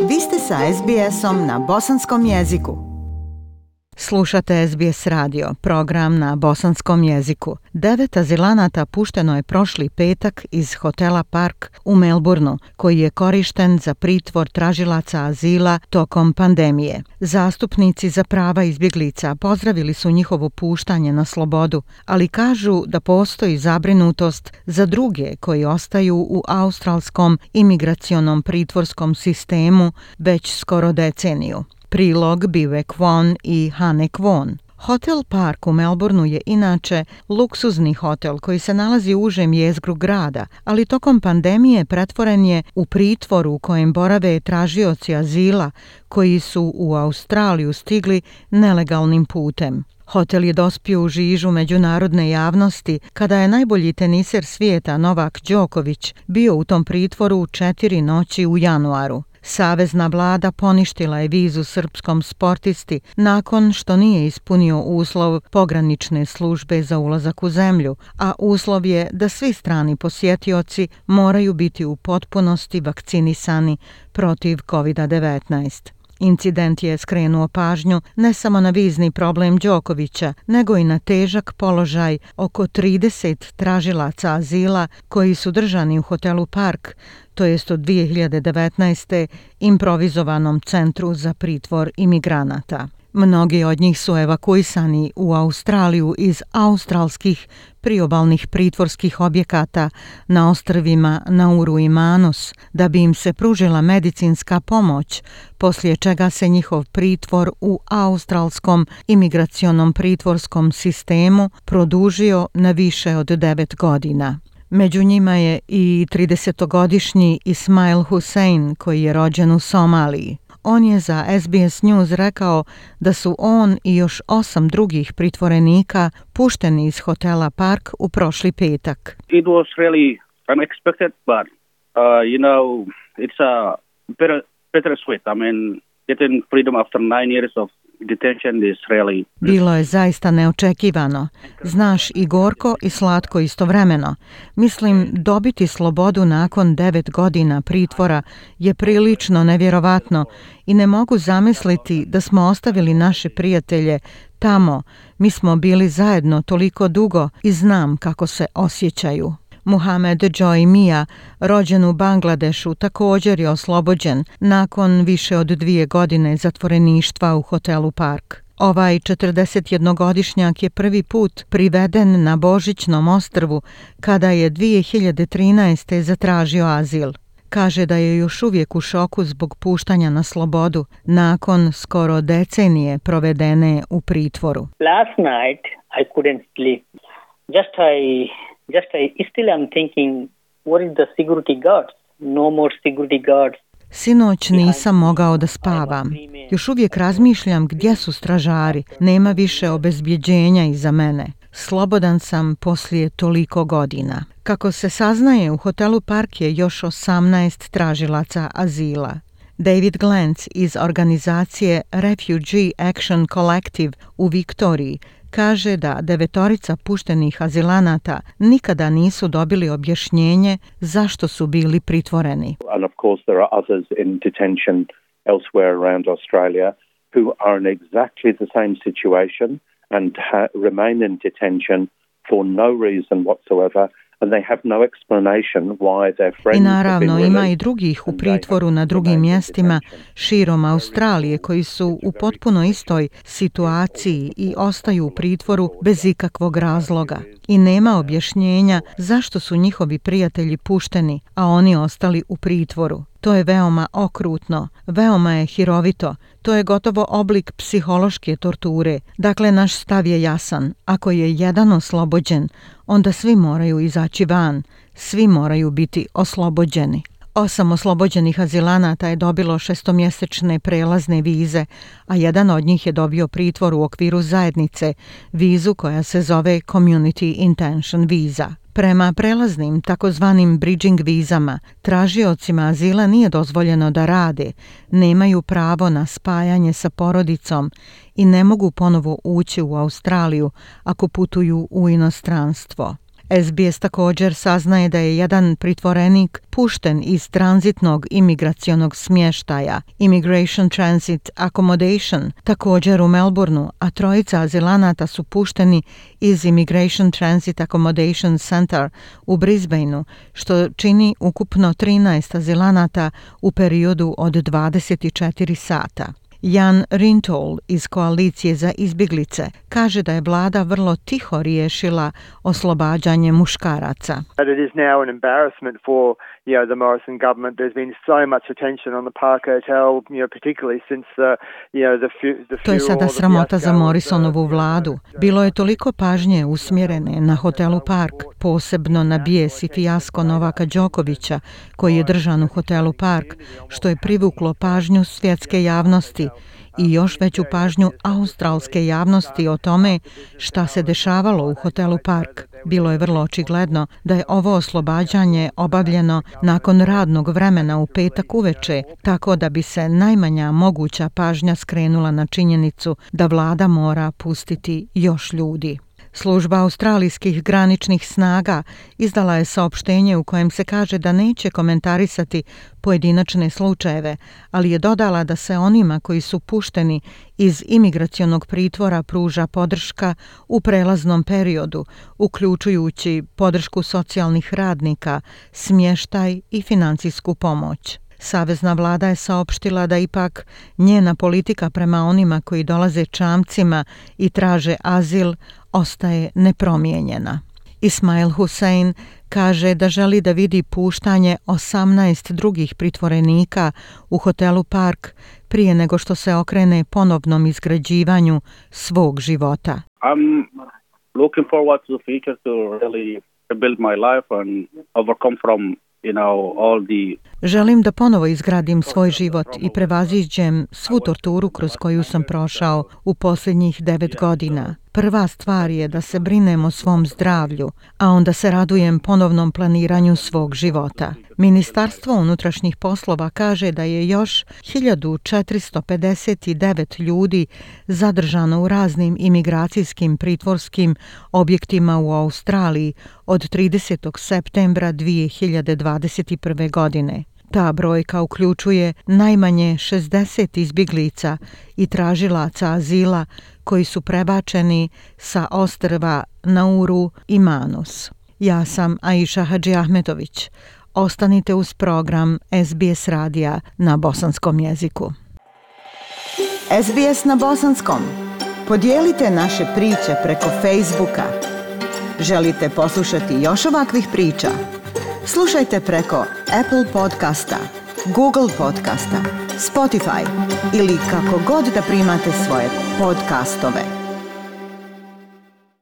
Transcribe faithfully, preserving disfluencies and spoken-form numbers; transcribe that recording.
Vi ste sa es be esom na bosanskom jeziku. Slušate es be es radio, program na bosanskom jeziku. Devet azilanata pušteno je prošli petak iz hotela Park u Melbourneu, koji je korišten za pritvor tražilaca azila tokom pandemije. Zastupnici za prava izbjeglica pozdravili su njihovo puštanje na slobodu, ali kažu da postoji zabrinutost za druge koji ostaju u australskom imigracionom pritvorskom sistemu već skoro deceniju. Prilog Bive Kwon i Hane Kwon. Hotel Park u Melbourneu je inače luksuzni hotel koji se nalazi u užem jezgru grada, ali tokom pandemije pretvoren je u pritvor u kojem borave tražioci azila koji su u Australiju stigli nelegalnim putem. Hotel je dospio u žižu međunarodne javnosti kada je najbolji teniser svijeta Novak Đoković bio u tom pritvoru četiri noći u januaru. Savezna vlada poništila je vizu srpskom sportisti nakon što nije ispunio uslov pogranične službe za ulazak u zemlju, a uslov je da svi strani posjetioci moraju biti u potpunosti vakcinisani protiv kovid devetnaest. Incident je skrenuo pažnju ne samo na vizni problem Đokovića, nego i na težak položaj oko trideset tražilaca azila koji su držani u hotelu Park, to jest od dvije hiljade devetnaeste. improvizovanom centru za pritvor imigranata. Mnogi od njih su evakuisani u Australiju iz australskih priobalnih pritvorskih objekata na ostrvima Nauru i Manus da bi im se pružila medicinska pomoć, poslije čega se njihov pritvor u australskom imigracionom pritvorskom sistemu produžio na više od devet godina. Među njima je i tridesetogodišnji Ismail Hussein koji je rođen u Somaliji. On je za es be es News rekao da su on i još osam drugih pritvorenika pušteni iz hotela Park u prošli petak. It was really unexpected, but uh, you know, it's a bitter, bittersweet. I mean, getting freedom after nine years of detention is really... Bilo je zaista neočekivano. Znaš, i gorko i slatko istovremeno. Mislim, dobiti slobodu nakon devet godina pritvora je prilično nevjerovatno i ne mogu zamisliti da smo ostavili naše prijatelje tamo. Mi smo bili zajedno toliko dugo i znam kako se osjećaju. Muhamed Joy Mia, rođen u Bangladešu, također je oslobođen nakon više od dvije godine zatvoreništva u hotelu Park. Ovaj četrdesetjednogodišnjak je prvi put priveden na Božićnom ostrvu kada je dvije hiljade trinaeste. zatražio azil. Kaže da je još uvijek u šoku zbog puštanja na slobodu nakon skoro decenije provedene u pritvoru. Last night I couldn't sleep. Just I Just I still am thinking, what is the security guards? No more security guards. Sinoć nisam mogao da spavam. Još uvijek razmišljam gdje su stražari. Nema više obezbjeđenja iza mene. Slobodan sam poslije toliko godina. Kako se saznaje, u hotelu Park je još osamnaest tražilaca azila. David Glantz iz organizacije Refugee Action Collective u Viktoriji kaže da devetorica puštenih azilanata nikada nisu dobili objašnjenje zašto su bili pritvoreni. And of course there are others in detention elsewhere around Australia who are in exactly the same situation and ha- remain in detention for no reason whatsoever. And they have no explanation why their friends. I naravno ima i drugih u pritvoru na drugim mjestima širom Australije koji su u potpuno istoj situaciji i ostaju u pritvoru bez ikakvog razloga. I nema objašnjenja zašto su njihovi prijatelji pušteni, a oni ostali u pritvoru. To je veoma okrutno, veoma je hirovito, to je gotovo oblik psihološke torture. Dakle, naš stav je jasan. Ako je jedan oslobođen, onda svi moraju izaći van, svi moraju biti oslobođeni. Osam oslobođenih azilanata je dobilo šestomjesečne prelazne vize, a jedan od njih je dobio pritvor u okviru zajednice, vizu koja se zove Community Intention Visa. Prema prelaznim takozvanim bridging vizama, tražiocima azila nije dozvoljeno da rade, nemaju pravo na spajanje sa porodicom i ne mogu ponovo ući u Australiju ako putuju u inostranstvo. S B S također saznaje da je jedan pritvorenik pušten iz tranzitnog imigracionog smještaja Immigration Transit Accommodation također u Melbourneu, a trojica azilanata su pušteni iz Immigration Transit Accommodation Center u Brisbaneu, što čini ukupno trinaest azilanata u periodu od dvadeset četiri sata. Jan Rintol iz Koalicije za izbjeglice kaže da je vlada vrlo tiho riješila oslobađanje muškaraca. It is now an embarrassment for, you know, the Morrison government. There's been so much attention on the Park Hotel, you know, particularly since the, you know, the the To je sada sramota za Morrisonovu vladu. Bilo je toliko pažnje usmjerene na hotelu Park, posebno na bijes i fijasko Novaka Đokovića koji je držan u hotelu Park, što je privuklo pažnju svjetske javnosti i još veću pažnju australske javnosti o tome šta se dešavalo u hotelu Park. Bilo je vrlo očigledno da je ovo oslobađanje obavljeno nakon radnog vremena u petak uveče, tako da bi se najmanja moguća pažnja skrenula na činjenicu da vlada mora pustiti još ljudi. Služba australijskih graničnih snaga izdala je saopštenje u kojem se kaže da neće komentarisati pojedinačne slučajeve, ali je dodala da se onima koji su pušteni iz imigracionog pritvora pruža podrška u prelaznom periodu, uključujući podršku socijalnih radnika, smještaj i financijsku pomoć. Savezna vlada je saopštila da ipak njena politika prema onima koji dolaze čamcima i traže azil ostaje nepromijenjena. Ismail Hussein kaže da želi da vidi puštanje osamnaest drugih pritvorenika u hotelu Park prije nego što se okrene ponovnom izgrađivanju svog života. I'm looking forward to the future to really rebuild my life and overcome from You know, all the... Želim da ponovo izgradim svoj život i prevaziđem svu torturu kroz koju sam prošao u posljednjih devet godina. Prva stvar je da se brinem o svom zdravlju, a onda se radujem ponovnom planiranju svog života. Ministarstvo unutrašnjih poslova kaže da je još hiljadu četiristo pedeset devet ljudi zadržano u raznim imigracijskim pritvorskim objektima u Australiji od tridesetog septembra dvije hiljade dvadeset prve. godine. Ta brojka uključuje najmanje šezdeset izbjeglica i tražilaca azila koji su prebačeni sa ostrva Nauru i Manus. Ja sam Aisha Hadžiahmetović. Ostanite uz program S B S radija na bosanskom jeziku. S B S na bosanskom. Podijelite naše priče preko Facebooka. Želite poslušati još ovakvih priča? Slušajte preko Apple podcasta, Google podcasta, Spotify ili kako god da primate svoje podcastove.